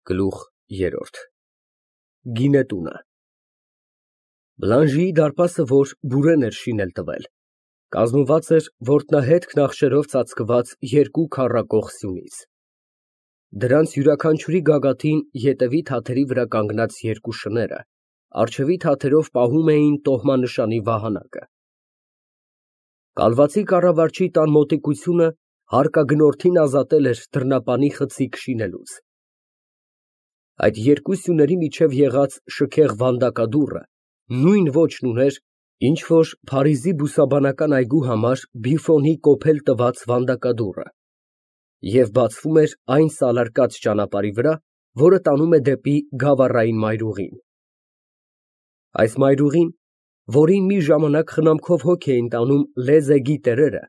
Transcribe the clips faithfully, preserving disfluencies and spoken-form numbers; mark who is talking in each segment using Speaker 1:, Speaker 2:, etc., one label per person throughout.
Speaker 1: Գլուխ երրորդ Գինետունը Բլանժիի դարպասը, որ բուրեն էր շինել տվել, կազմված էր ոտնահետ նախշերով ծածկված երկու քառակող սյունից, դրանց յուրաքանչյուրի գագաթին ետևի թաթերի վրա կանգնած երկու շները առջևի թաթերով պահում էին տոհմանշանի վահանակը։ Կալվածի կառավարչի տան մոտիկությունը հարկագնորդին ազատել էր դռնապանի խցիկ շինելուց։ Այդ երկու սյուների միջև եղած շքեղ վանդակադուռը նույն ոճն ուներ, ինչ որ Փարիզի բուսաբանական այգու համար Բիֆոնի կոփել տված վանդակադուռը, և բացվում էր այն սալարկած ճանապարհի վրա, որը տանում է դեպի Գավառային մայրուղին։ Այս մայրուղին, որին մի ժամանակ խնամքով հոգ էին տանում Լեզեգի տերերը,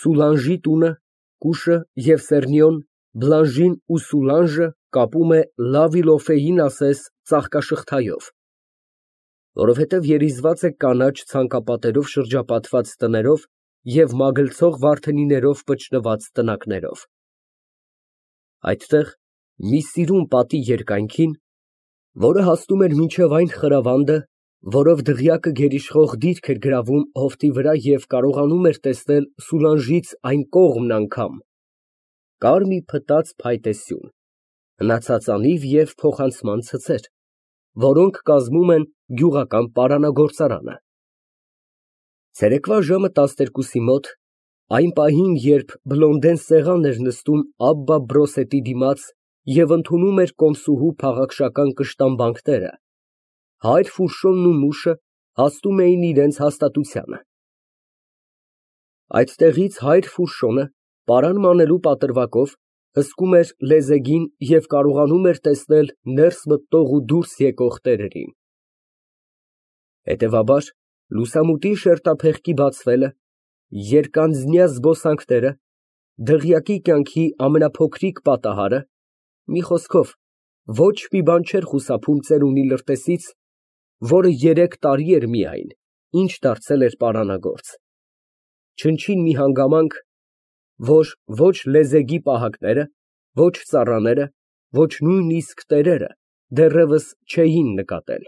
Speaker 1: Սուլանժի տունը, Կուշը և Սեռնիոն, Բլանժին ու Սուլանժը կապում է Լավիլոֆեին ասես ծաղկաշղթայով, որովհետև երիզված է կանաչ ցանկապատերով շրջապատված տներով և մագլցող վարդենիներով վճռված տնակներով։ Այդտեղ մի սիրուն պատի երկայնքին, որը հասնում էր մինչև այն խրավանդը, որով դղյակը գերիշխող դիրք էր գրավում հովտի վրա և կարողանում էր տեսնել Սուլանժից այն կողմն անգամ, կար մի փտած փայտե սյուն, հնացած անիվ և փոխանցման ցցեր, որոնք կազմում են գյուղական պարանագործարանը։ Ցերեկվա ժամը տասներկուսի մոտ, այն պահին, երբ Բլոնդեն սեղան էր նստում Աբբա Բրոսետի դիմաց և ընդունում էր կոմսուհու փաղաքշական կշտամբանքները, հայր Ֆուշոն ու մուշը հասնում էին իրենց հաստատությանը։ Այդտեղից հայր Ֆուշոնը, պարան մանելու պատրվակով, հսկում էր Լեզեգին և կարողանում էր տեսնել ներս մտնող ու դուրս եկող տերերին։ Հետևաբար, լուսամուտի շերտափեղկի բացվելը, երկանձնյա զբոսանքները, դղյակի կյանքի ամենափոքրիկ պատահարը, մի խոսքով, ոչ մի բան չէր խուսափում ծերունի լրտեսից, որը երեք տարի էր միայն, ինչ դարձել էր պարանագործ, չնչին մի հանգամանք, որ ոչ Լեզեգի պահակները, ոչ ծառաները, ոչ նույնիսկ տերերը դեռևս չէին նկատել։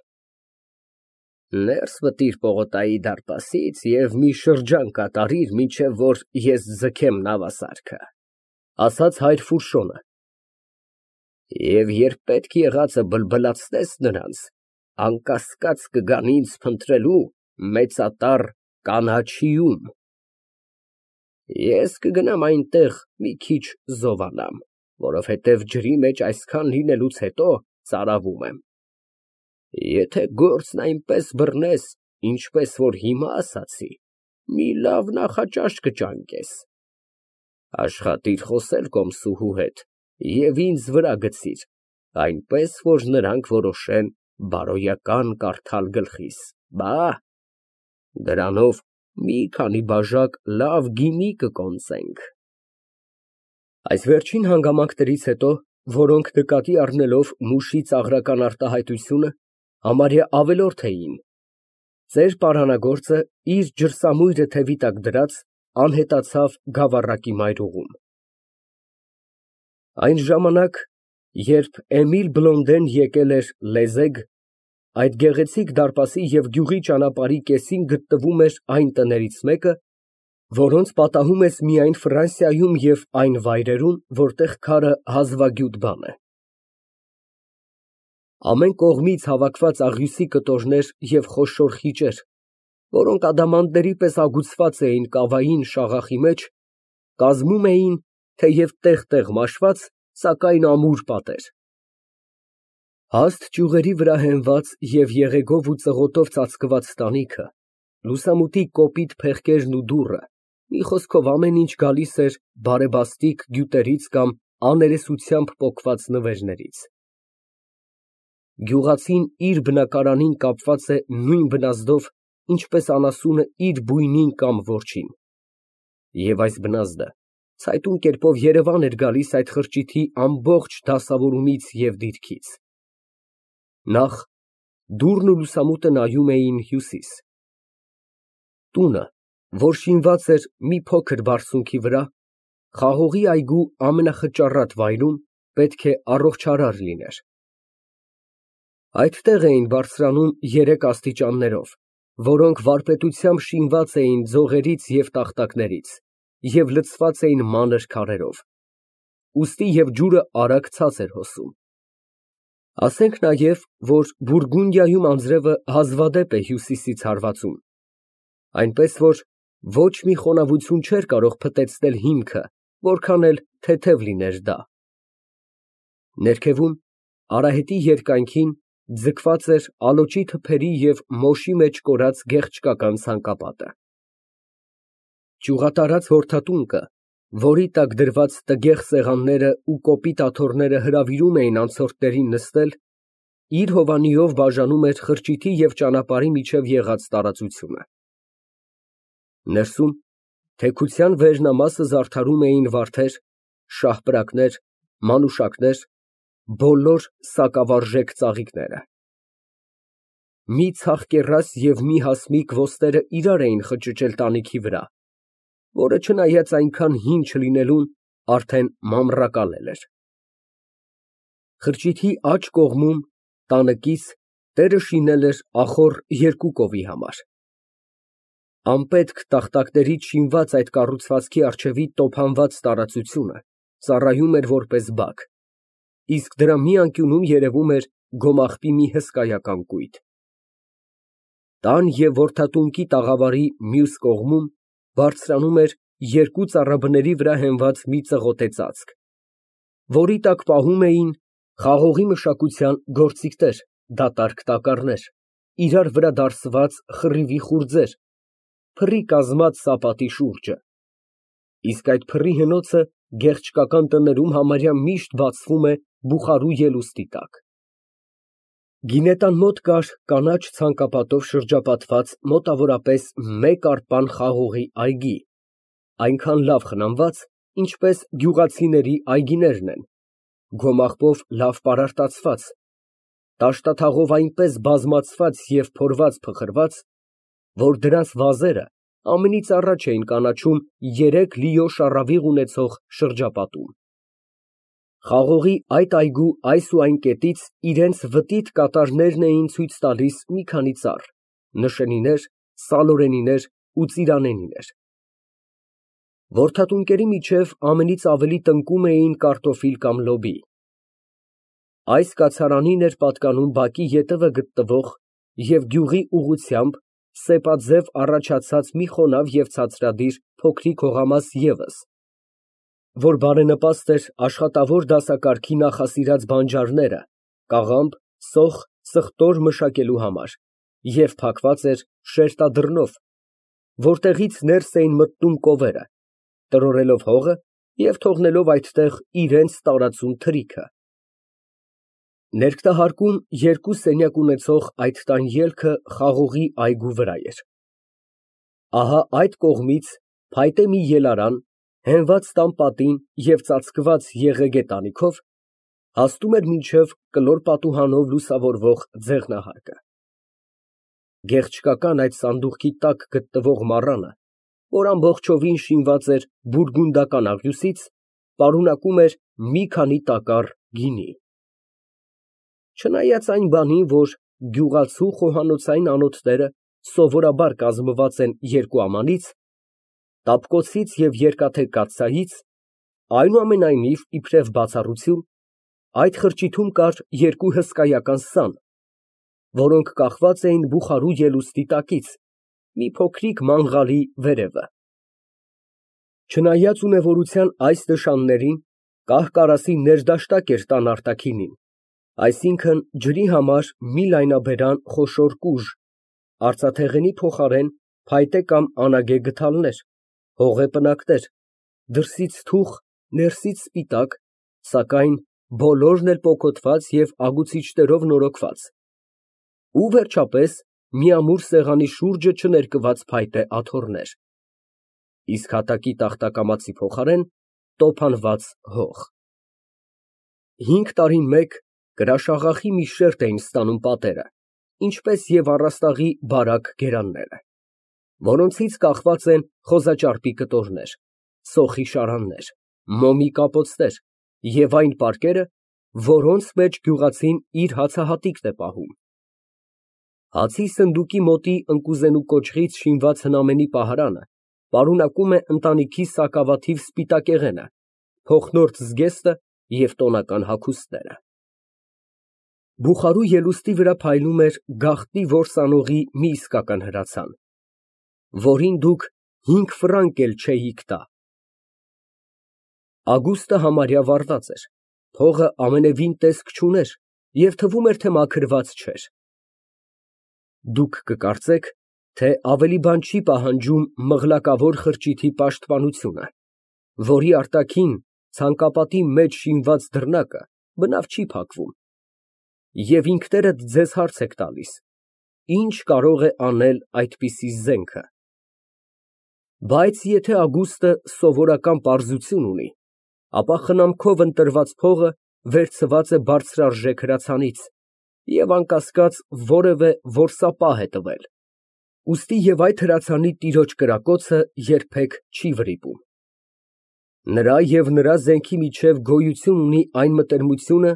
Speaker 1: Ներս մտիր պողոտայի դարպասից և մի շրջան կատարիր, մինչև որ ես ձգեմ նավասարքը, ասաց հայր Ֆուշոնը, և երբ պետք եղածը բլբլացնես նրանց, անկասկած կգան ինձ փնտրելու մեծատառ Կանաչիում։ Ես կգնամ այնտեղ մի քիչ զովանամ, որովհետև ջրի մեջ այսքան լինելուց հետո ծարավում եմ։ Եթե գործն այնպես բռնես, ինչպես որ հիմա ասացի, մի լավ նախաճաշ կճանկես։ Աշխատիր խոսել կոմսուհու հետ և ինձ վրա գցիր, այնպես որ նրանք որոշեն բարոյական կարդալ գլխիս, բա՛, դրանով մի քանի բաժակ լավ գինի կկոնծենք։ Այս վերջին հանգամանքներից հետո, որոնք նկատի առնելով մուշի ծաղրական արտահայտությունը, համարյա ավելորդ էին, ծեր պարանագործը, իր ջրսամույրը թևի տակ դրած, անհետացավ գավառակի մայրուղում։ Այն ժամանակ, երբ Էմիլ Բլոնդեն եկել էր Լեզեգ, այդ գեղեցիկ դարպասի և գյուղի ճանապարհի կեսին գտնվում էր այն տներից մեկը, որոնց պատահում ես միայն Ֆրանսիայում և այն վայրերում, որտեղ քարը հազվագյուտ բան է։ Ամեն կողմից հավաքված աղյուսի կտորներ և խոշոր խիճեր, որոնք ադամանդների պես ագուցված էին կավային շաղախի մեջ, կազմում էին, թեև տեղ֊տեղ մաշված, սակայն ամուր պատեր։ Հաստ ճյուղերի վրա հենված և եղեգով ու ծղոտով ծածկված տանիքը, լուսամուտի կոպիտ փեղկերն ու դուռը, մի խոսքով ամեն ինչ գալիս էր բարեբաստիկ գյուտերից կամ աներեսությամբ պոկված նվերներից։ Գյուղացին իր բնակարանին կապված է նույն բնազդով, ինչպես անասունը իր բույնին կամ որջին, և այս բնազդը ցայտուն կերպով երևան էր գալիս այդ խրճիթի ամբողջ դասավորումից և դիրքից։ Նախ, դուռն ու լուսամուտը նայում էին հյուսիս։ Տունը, որ շինված էր մի փոքր բարձունքի վրա, խաղողի այգու ամենախճառատ վայրում, պետք է առողջարար լիներ։ Այդտեղ էին բարձրանում երեք աստիճաններով, որոնք վարպետությամբ շինված էին ձողերից և տախտակներից և լցված էին մանր քարերով, ուստի և ջուրը արագ ցած էր հոսում։ Ասենք նաև, որ Բուրգունդիայում անձրևը հազվադեպ է հյուսիսից հարվածում, այնպես որ ոչ մի խոնավություն չէր կարող փտեցնել հիմքը, որքան էլ թեթև լիներ դա։ Ներքևում, արահետի երկայնքին, ձգված էր ալոճի թփերի և մոշի մեջ կորած գեղեցկական ցանկապատը։ Ճյուղատարած հորթատունկը, որի տակ դրված տգեղ սեղաններն ու կոպիտ աթոռները հրավիրում էին անցորդներին նստել, իր հովանիով բաժանում էր խրճիթի և ճանապարհի միջև եղած տարածությունը։ Ներսում թեքության վերնամասը զարդարում էին վարդեր, շահպրակներ, մանուշակներ, բոլոր սակավարժեք ծաղիկները։ Մի ցախկեռաս և մի հասմիկ ոստերը իրար էին խճճել տանիքի վրա, որը, չնայած այնքան հին չլինելուն, արդեն մամռակալել էր։ Խրճիթի աջ կողմում, տանկից, տերը շինել էր ախոռ երկու կովի համար։ Անպետք տախտակներից շինված այդ կառուցվածքի առջևի տոփանված տարածությունը ծառայում էր որպես բակ, իսկ դրա մի անկյունում երևում էր գոմաղբի մի հսկայական կույտ։ Տան և որդատունկի տաղավարի մյուս կողմում բարձրանում էր երկու ծառաբների վրա հենված մի ծղոտե ծածկ, որի տակ պահում էին խաղողի մշակության գործիքներ, դատարկ տակառներ, իրար վրա դարսված խռիվի խուրձեր, փռի կազմած սապատի շուրջը, իսկ այդ փռի հնոցը գեղեցկական տներում համարյա միշտ բացվում է բուխարու ելուստի տակ։ Գինետան մոտ կար կանաչ ցանկապատով շրջապատված մոտավորապես մեկ արպան խաղողի այգի, այնքան լավ խնամված, ինչպես գյուղացիների այգիներն են, գոմաղբով լավ պարարտացված, տաշտաթաղով այնպես բազմացված և փորված֊փխրված, որ դրանց վազերը ամենից առաջ էին կանաչում երեք լիո շառավիղ ունեցող շրջապատում։ Խաղողի այդ այգու այս ու այն կետից իրենց վտիտ կատարներն էին ցույց տալիս մի քանի ծառ, նշենիներ, սալորենիներ ու ծիրանենիներ։ Որդատունկերի միջև ամենից ավելի տնկում էին կարտոֆիլ կամ լոբի։ Այս կացարանին էր պատկանում բակի ետևը գտնվող և գյուղի ուղղությամբ սեպաձև առաջացած մի խոնավ և ցածրադիր փոքրիկ հողամաս ևս, որ բարենպաստ էր աշխատավոր դասակարգի նախասիրած բանջարները կաղամբ, սոխ, ծխտոր մշակելու համար և փակված էր շերտադրնով, որտեղից ներս էին մտնում կովերը, տրորելով հողը և թողնելով այդտեղ իրենց տարածուն թրիքը։ Ներկտահարկում երկու սենյակ ունեցող այդ տան ելքը խաղողի այգու վրա էր։ Ահա այդ կողմից փայտե մի ելարան, հենված տան պատին և ծածկված եղեգե տանիքով, հասնում էր մինչև կլոր պատուհանով լուսավորվող ձեղնահարկը։ Գեղեցկական այդ սանդուղքի տակ գտնվող մառանը, որ ամբողջովին շինված էր բուրգունդական աղյուսից, պարունակում էր մի քանի տակառ գինի։ Չնայած այն բանին, որ գյուղացու խոհանոցային անոթները սովորաբար կազմված են երկու ամանից, տապկոցից և երկաթե կաթսայից, այնուամենայնիվ, իբրև բացառություն, այդ խրճիթում կար երկու հսկայական սան, որոնք կախված էին բուխարու ելուստի տակից, մի փոքրիկ մանղալի վերևը։ Չնայած ունևորության այս նշաններին, կահ֊կարասի ներդաշտակ էր տան արտաքինին, այսինքն՝ ջրի համար մի լայնաբերան խոշոր կուժ, արծաթեղենի փոխարեն փայտե կամ անագե գդալներ, հողե պնակներ, դրսից թուխ, ներսից սպիտակ, սակայն բոլորն էլ պոկոտված և ագուցիչներով նորոգված, ու վերջապես, մի ամուր սեղանի շուրջը չներկված փայտե աթոռներ, իսկ հատակի տախտակամածի փոխարեն տոփանված հող։ Հինգ տարին մեկ կրաշաղախի մի շերտ էին ստանում պատերը, ինչպես և առաստաղի բարակ գերանները, որոնցից կախված են խոզաճարպի կտորներ, սոխի շարաններ, մոմի կապոցներ, և այն պարկերը, որոնց մեջ գյուղացին իր հացահատիկն է պահում։ Հացի սնդուկի մոտի ընկուզենու կոճղից շինված հնամենի պահարանը պարունակում է ընտանիքի սակավաթիվ սպիտակեղենը, փոխնորթ զգեստը և տոնական հագուստները։ Բուխարու ելուստի վրա փայլում էր գաղտնի որսանողի մի իսկական հրացան, որին դուք հինգ ֆրանկ էլ չէիք տա։ Ագուստը համարյա վառված էր, փողը ամենևին տեսք չուներ և թվում էր, թե մաքրված չէր։ Դուք կկարծեք, թե ավելի բան չի պահանջում մղլակավոր խրճիթի պաշտպանությունը, որի արտաքին ցանկապատի մեջ շինված դռնակը բնավ չի փակվում, և ինքներդ ձեզ հարց եք տալիս. ի՞նչ կարող է անել այդպիսի զենքը։ Բայց եթե Ագուստը սովորական պարզություն ունի, ապա խնամքով ընտրված փողը վերցված է բարձրարժեք հրացանից և անկասկած որևէ որսապահ է տվել, ուստի և այդ հրացանի տիրոջ կրակոցը երբեք չի վրիպում։ Նրա և նրա զենքի միջև գոյություն ունի այն մտերմությունը,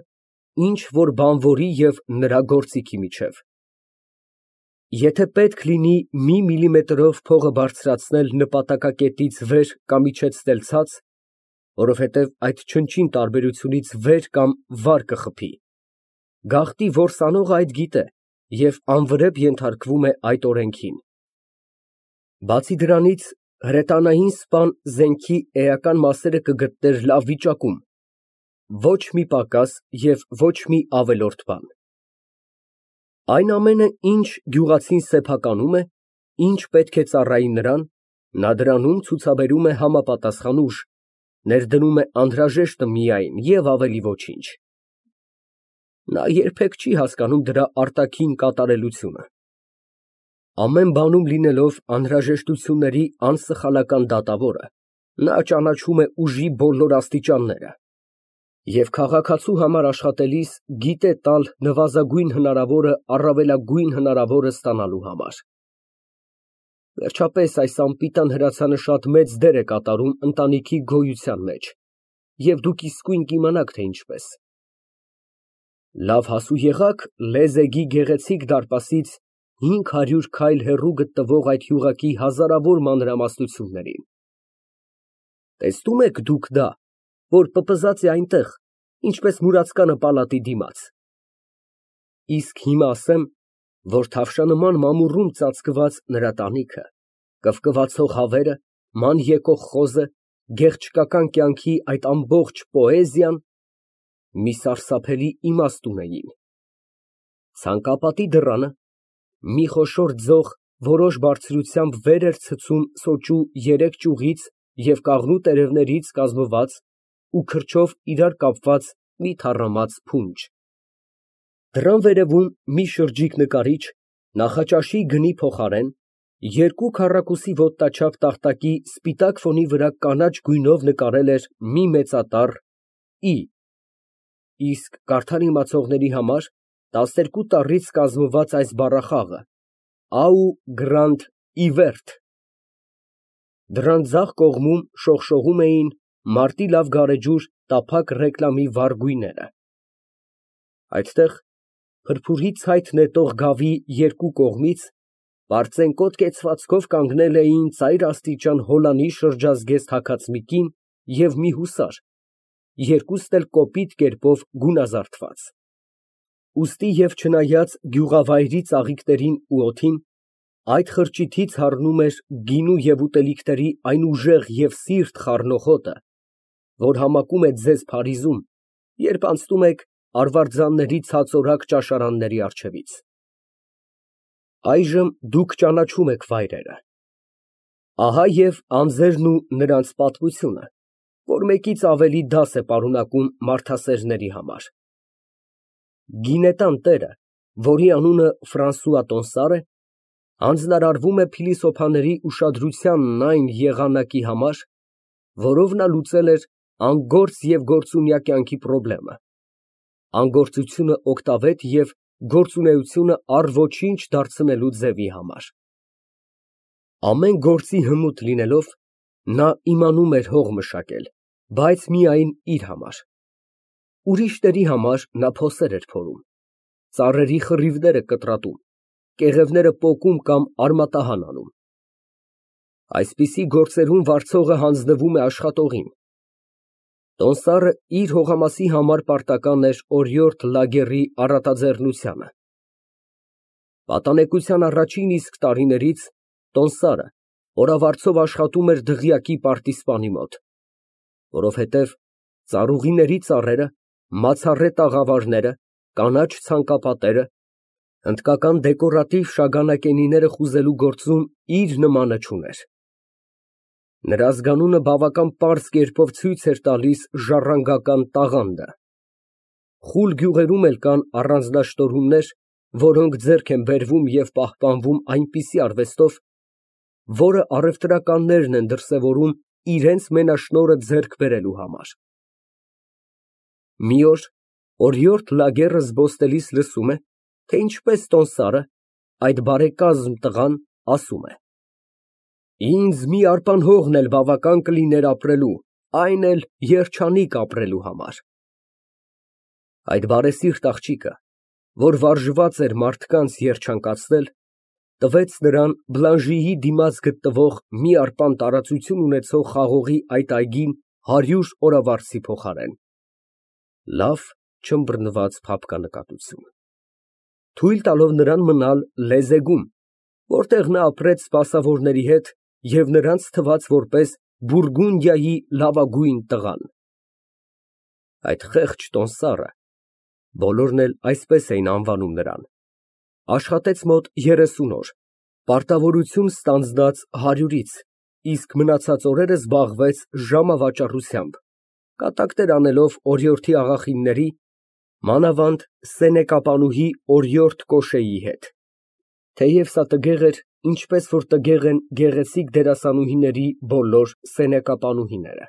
Speaker 1: ինչ որ բանվորի և նրա գործիքի միջև։ Եթե պետք լինի մի միլիմետրով փողը բարձրացնել նպատակակետից վեր կամ իջեցնել ցած, որովհետև այդ չնչին տարբերությունից վեր կամ վար կխփի, գաղտնի որսանողը այդ գիտե և անվրեպ ենթարկվում է այդ օրենքին։ Բացի դրանից, հրետանային սպան զենքի էական մասերը կգտներ լավ վիճակում, ոչ մի պակաս և ոչ մի ավելորդ բան։ Այն ամենը, ինչ գյուղացին սեփականում է, ինչ պետք է ծառայի նրան, նա դրանում ցուցաբերում է համապատասխան ուժ, ներդնում է անհրաժեշտը միայն և ավելի ոչինչ։ Նա երբեք չի հասկանում դրա արտաքին կատարելությունը։ Ամեն բանում լինելով անհրաժեշտությունների անսխալական դատավորը, նա ճանաչում է ուժի բոլոր աստիճանները և քաղաքացու համար աշխատելիս գիտե տալ նվազագույն հնարավորը առավելագույն հնարավորը ստանալու համար։ Վերջապես, այս անպիտան հրացանը շատ մեծ դեր է կատարում ընտանիքի գոյության մեջ, և դուք իսկույն կիմանաք, թե ինչպես։ Լավ հասու եղաք Լեզեգի գեղեցիկ դարպասից հինգ հարյուր քայլ հեռու գտնվող այդ գյուղակի հազարավոր մանրամասնություններին։ Տեսնո՞ւմ եք դուք դա, որ պպզած է այնտեղ, ինչպես մուրացկանը պալատի դիմաց։ Իսկ հիմա ասեմ, որ թավշանման մամուռում ծածկված նրա տանիքը, կվկվացող հավերը, ման եկող խոզը, գեղչկական կյանքի այդ ամբողջ պոեզիան մի սարսափելի իմաստ ունեին։ Ցանկապատի դռանը մի խոշոր ձող որոշ բարձրությամբ վեր էր ցցում սոճու երեք ճյուղից և կաղնու տերևներից կազմված ու քրջով իրար կապված մի թառամած փունջ։ Դռան վերևում մի շրջիկ նկարիչ նախաճաշի գնի փոխարեն երկու քառակուսի ոտնաչափ տախտակի սպիտակ ֆոնի վրա կանաչ գույնով նկարել էր մի մեծատառ «ի», իսկ կարդալ իմացողների համար տասներկու տառից կազմված այս բառախաղը «Au grand Hivert»։ Դռան ձախ կողմում շողշողում էին մարտի լավ գարեջուր տափակ ռեկլամի վառ գույները։ Այդտեղ, փրփուրի ցայտ նետող գավի երկու կողմից, պարծենկոտ կեցվածքով կանգնել էին ծայրաստիճան հոլանի շրջազգեստ հագած մի կին և մի հուսար, երկուստ էլ կոպիտ կերպով գունազարդված։ Ուստի և չնայած գյուղավայրի ծաղիկներին ու օդին, այդ խրճիթից հառնում էր գինու և ուտելիքների այն ուժեղ և սիրտ խառնող հոտը, որ համակում է ձեզ Փարիզում, երբ անցնում եք արվարձանների ցածորակ ճաշարանների առջևից։ Այժմ դուք ճանաչում եք վայրերը։ Ահա և անձերն ու նրանց պատմությունը, որ մեկից ավելի դաս է պարունակում մարդասերների համար։ Գինետան տերը, որի անունը Ֆրանսուଆ Տոնսար է, հանձնարարվում է փիլիսոփաների ուշադրությանն այն եղանակի համար, որով նա լուծել էր անգործ և գործունյա կյանքի պրոբլեմը, անգործությունը օգտավետ և գործունեությունը առ ոչինչ դարձնելու ձևի համար։ Ամեն գործի հմուտ լինելով, նա իմանում էր հող մշակել, բայց միայն իր համար, Ուրիշների համար նա փոսեր էր փորում, ծառերի խռիվները կտրատում, կեղևները պոկում կամ արմատահան անում։ Այսպիսի գործերում վարձողը հանձնվում է աշխատողին։ Տոնդսարը իր հողամասի համար պարտական էր օրիորդ Լագերի առատաձեռնությանը։ Պատանեկության առաջին իսկ տարիներից տոնդսարը օրավարձով աշխատում էր դղյակի պարտիզպանի մոտ, որովհետև ծառուղիների ծառերը, մացառե տաղավարները, կանաչ ցանկապատերը, հնդկական դեկորատիվ շագանակենիները խուզելու գործում իր նմանը չուներ։ Նրա ազգանունը բավական պարզ կերպով ցույց էր տալիս ժառանգական տաղանդը։ Խուլ գյուղերում էլ կան առանձնաշտորումներ, որոնք ձեռք են բերվում և պահպանվում այնպիսի արվեստով, որը առևտրականներն են դրսևորում իրենց մենաշնորհը ձեռք բերելու համար։ Մի օր օրիորդ Լագերը զբոսնելիս լսում է, թե ինչպես տոնդսարը, այդ բարեկազմ տղան, ասում է. «Ինձ մի արպան հողն էլ բավական կլիներ ապրելու, այն էլ երջանիկ ապրելու համար»։ Այդ բարեսիրտ աղջիկը, որ վարժված էր մարդկանց երջանկացնել, տվեց նրան Բլանժիի դիմաց գտնվող մի արպան տարածություն ունեցող խաղողի այդ այգին հարյուր օրավարձի փոխարեն (լավ չըմբռնված փափկանկատություն), թույլ տալով նրան մնալ լեզեգում, որտեղ նա ապրեց սպասավորների հետ և նրանց թվաց որպես Բուրգունդիայի լավագույն տղան։ Այդ խեղճ տոնդսառը (բոլորն էլ այսպես էին անվանում նրան) աշխատեց մոտ երեսուն օր, պարտավորություն ստանձնած հարյուրից, իսկ մնացած օրերը զբաղվեց ժամավաճառությամբ, կատակներ անելով օրիորդի աղախինների, մանավանդ սենեկապանուհի օրիորդ Կոշեի հետ, թեև սա տգեղ էր, ինչպես որ տգեղ են գեղեցիկ դերասանուհիների բոլոր սենեկապանուհիները։